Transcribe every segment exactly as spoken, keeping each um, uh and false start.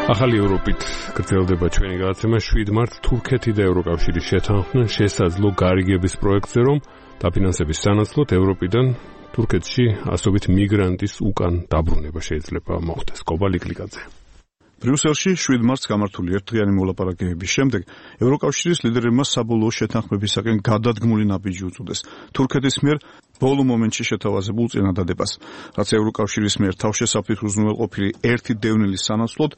ახალი ევროპით გრძელდება ჩვენი გადაცემა შვიდ მარტს თურქეთი და ევროკავშირი შეთანხმდნენ შესაძლო გარიგების პროექტზე, რომ დაფინანსების სანაცვლოდ ევროპიდან თურქეთში ასობით მიგრანტის უკან დაბრუნება შეიძლება მოხდეს. კობა ლიკლიკაძე. ბრიუსელში შვიდ მარტს გამართული ერთდღიანი მოლაპარაკებების შემდეგ ევროკავშირის ლიდერებმა საბოლოო შეთანხმებისაკენ გადადგმული ნაბიჯი უწოდეს თურქეთის მიერ ბოლო მომენტში შეთავაზებულ წინადადებას, რაც ევროკავშირის მიერ თავშესაფრით უზრუნველყოფილი ერთი დევნილის სანაცვლოდ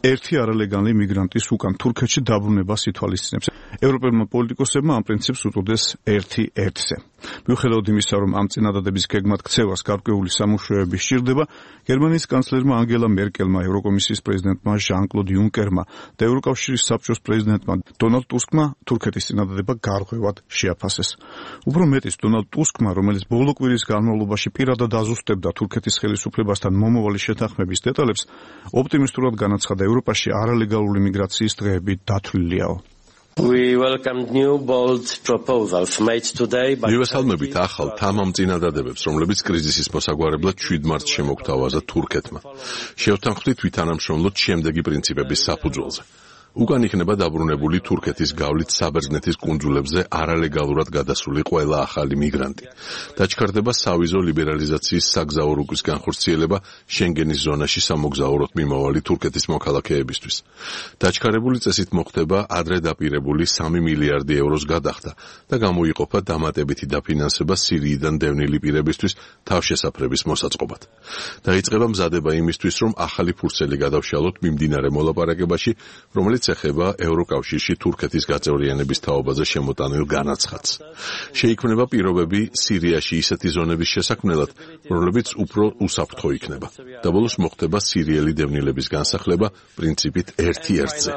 ერთი არალეგალური მიგრანტის უკან თურქეთში დაბრუნებას ითვალისწინებს. ევროპელმა პოლიტიკოსებმა ამ პრინციპს უწოდეს ერთი ერთზე. მიუხედავად იმისა, რომ ამ წინადადების გეგმად ქცევას გარკვეული სამუშაოები სჭირდება, გერმანიის კანცლერმა ანგელა მერკელმა, ევროკომისიის პრეზიდენტმა ჟან-კლოდ იუნკერმა და ევროკავშირის საბჭოს პრეზიდენტმა დონალდ ტუსკმა თურქეთის წინადადება გარღვევად შეაფასეს. უფრო მეტიც, დონალდ ტუსკმა, რომელიც ბოლო კვირის განმავლობაში პირადად აზუსტებდა თურქეთის ხელისუფლებასთან მომავალი შეთანხმების დეტალებს, ოპტიმისტურად განაცხადა ევროპაში არალეგალური მიგრაციის დღეები დათვლილიაო. მივესალმებით ახალ თამამ წინადადებებს, რომლებიც კრიზისის მოსაგვარებლად შვიდ მარტს შემოგთავაზა თურქეთმა. შევთანხმდით ვითანამშრომლოთ შემდეგი პრინციპების საფუძველზე. უკან იქნება დაბრუნებული თურქეთის გავლით საბერძნეთის კუნძულებზე არალეგალურად გადასული ყველა ახალი მიგრანტი. დაჩქარდება სავიზო ლიბერალიზაციის საგზაო რუკის განხორციელება შენგენის ზონაში სამოგზაუროდ მიმავალი თურქეთის მოქალაქეებისთვის. დაჩქარებული წესით მოხდება ადრე დაპირებული სამი მილიარდი ევროს გადახდა და გამოიყოფა დამატებითი დაფინანსება სირიიდან დევნილი პირებისთვის თავშესაფრების მოსაწყობად. დაიწყება მზადება იმისთვის, რომ ახალი ფურცელი გადავშალოთ მიმდინარე მოლაპარაკებაში, რომელიც ეხება ევროკავშირში თურქეთის გაწევრიანების თაობაზე შემოტანილ განაცხადს. შეიქმნება პირობები სირიაში ისეთი ზონების შესაქმნელად, რომლებიც უფრო უსაფრთხო იქნება. და ბოლოს მოხდება სირიელი დევნილების განსახლება პრინციპით ერთი ერთზე.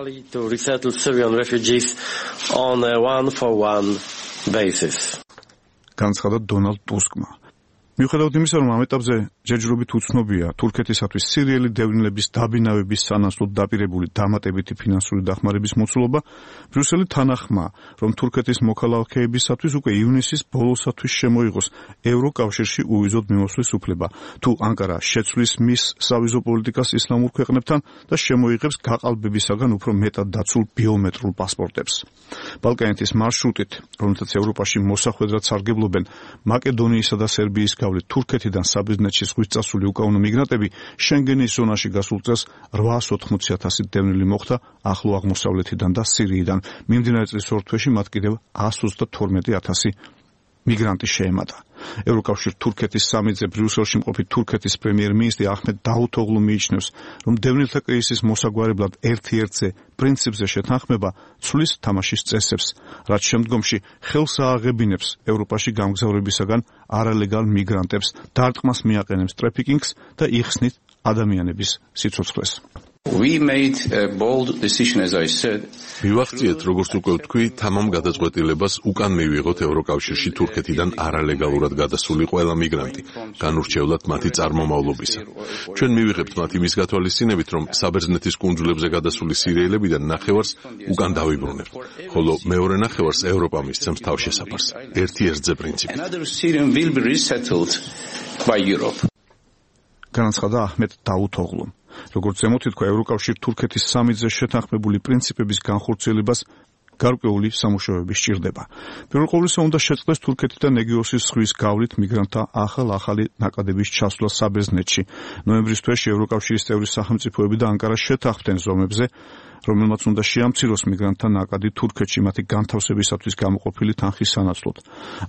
განცხადა დონალდ ტუსკმა. მიუხედავად იმისა, რომ ამ ეტაპზე ჯერჯერობით უცნობია თურქეთისათვის სირიელი დევნილების დაბინავების სანაცვლოდ დაპირებული დამატებითი ფინანსური დახმარების მოცულობა, ბრიუსელი თანახმა, რომ თურქეთის მოქალაქეებისათვის უკვე ივნისის ბოლოსათვის შემოიღოს ევროკავშირში უვიზოდ მიმოსვლის უფლება, თუ ანკარა შეცვლის მის სავიზო პოლიტიკას ისლამურ ქვეყნებთან და შემოიღებს გაყალბებისაგან უფრო მეტად დაცულ ბიომეტრიულ პასპორტებს. ბალკანეთის მარშრუტით, რომელთაც ევროპაში მოსახვედრად სარგებლობენ მაკედონიისა და სერბიის გავლით თურქეთიდან საბერძნეთში ზღვის წასული უკანონო მიგრანტები შენგენის ზონაში გასულ წელს რვაას ოთხმოცი ათასი დევნილი მოხდა ახლო აღმოსავლეთიდან და სირიიდან. მიმდინარე წლის ორ თვეში მათ კიდევ ას ოცდათორმეტი ათასი მიგრანტი შეემატა. ევროკავშირ თურქეთის სამიტზე ბრიუსელში მყოფი თურქეთის პრემიერ-მინისტრი აჰმედ დაუთოღლუ მიიჩნევს, რომ დევნილთა კრიზისის მოსაგვარებლად ერთი ერთზე პრინციპზე შეთანხმება ცვლის თამაშის წესებს, რაც შემდგომში ხელს ააღებინებს ევროპაში გამგზავრებისაგან არალეგალ მიგრანტებს, დარტყმას მიაყენებს ტრაფიკინგს და იხსნით ადამიანების სიცოცხლეს. We made a bold decision, as I said. მივახციეთ, როგორც უკვე ვთქვი, თამამ გადაწყვეტილებას უკან მივიღოთ ევროკავშირში თურქეთიდან არალეგალურად გადასული ყველა მიგრანტი, განურჩევლად მათი წარმომავლობისა. ჩვენ მივიღებთ მათ იმის გათვალისწინებით, რომ საბერძნეთის კუნძულებზე გადასული სირიელებიდან ნახევარს უკან დავიბრუნებთ, ხოლო მეორე ნახევარს ევროპა მისცემს თავშესაფარს. ერთი ერთზე პრინციპით. Another Syrian will be resettled by Europe. განაცხადა აჰმედ დაუთოღლუ. როგორც ზემოთ ითქვა, ევროკავშირ თურქეთის სამიტზე შეთანხმებული პრინციპების განხორციელებას გარკვეული სამუშაოები სჭირდება. პირველ ყოვლისა უნდა შეწყდეს თურქეთიდან ეგეოსის ზღვის გავლით მიგრანტთა ახალ-ახალი ნაკადების ჩასვლა საბერძნეთში. ნოემბრის თვეში ევროკავშირის წევრი სახელმწიფოები და ანკარა შეთანხმდნენ ზომებზე, რომელმაც უნდა შეამციროს მიგრანტთა ნაკადი თურქეთში მათი განთავსებისათვის გამოყოფილი თანხის სანაცვლოდ.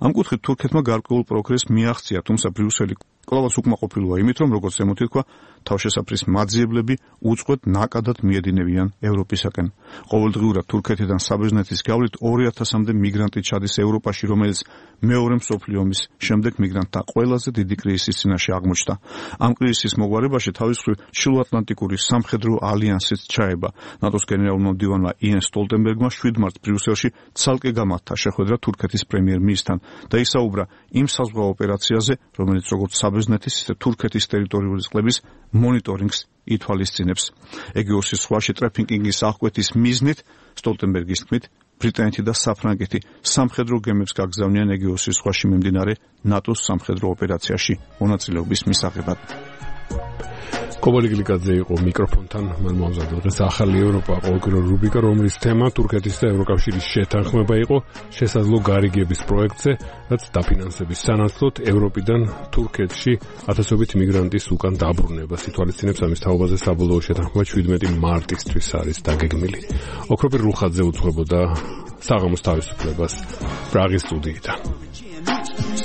ამ კუთხით თურქეთმა გარკვეულ პროგრესს მიაღწია, თუმცა ბრიუსელი კვლავაც უკმაყოფილოა იმით, რომ როგორც ზემოთ ითქვა, თავშესაფრის მაძიებლები უწყვეტ ნაკადად მიედინებიან ევროპისაკენ. ყოველდღიურად თურქეთიდან საბერძნეთის გავლით ორი ათასამდე მიგრანტი ჩადის ევროპაში, რომელიც მეორე მსოფლიო ომის შემდეგ მიგრანტთა ყველაზე დიდი კრიზისის წინაშე აღმოჩნდა. ამ კრიზისის მოგვარებაში თავის მხრივ ჩრდილოატლანტიკური სამხედრო ალიანსიც ჩაება. ნატოს გენერალურმა მდივანმა იენ სტოლტენბერგმა შვიდ მარტს ბრიუსელში ცალკე გამართა შეხვედრა თურქეთის პრემიერ-მინისტრთან და ისაუბრა იმ საზღვაო ოპერაციაზე, რომელიც როგორც საბერძნეთის ისე თურქეთის ტერიტორიული წყლების მონიტორინგს ითვალისწინებს. ეგეოსის ზღვაში ტრაფიკინგის აღკვეთის მიზნით სტოლტენბერგის თქმით ბრიტანეთი და საფრანგეთი სამხედრო გემებს გაგზავნიან ეგეოსის ზღვაში მიმდინარე ნატოს სამხედრო ოპერაციაში მონაწილეობის მისაღებად. კობალი გლიკაძე იყო მიკროფონთან, მან მომზადდა დღეს ახალი ევროპა ყოველკვირა რუბრიკა, რომლის თემა თურქეთის და ევროკავშირის შეთანხმება იყო შესაძლო გარიგების პროექტზე, რაც დაფინანსების სანაცვლოდ ევროპიდან თურქეთში ათასობით მიგრანტის უკან დაბრუნებას ითვალისწინებს. ამის თაობაზე საბოლოო შეთანხმება შვიდმეტი მარტისთვის არის დაგეგმილი. ოქროპირ რუხაძე უძღვებოდა საღამოს თავისუფლებას პრაღის სტუდიიდან.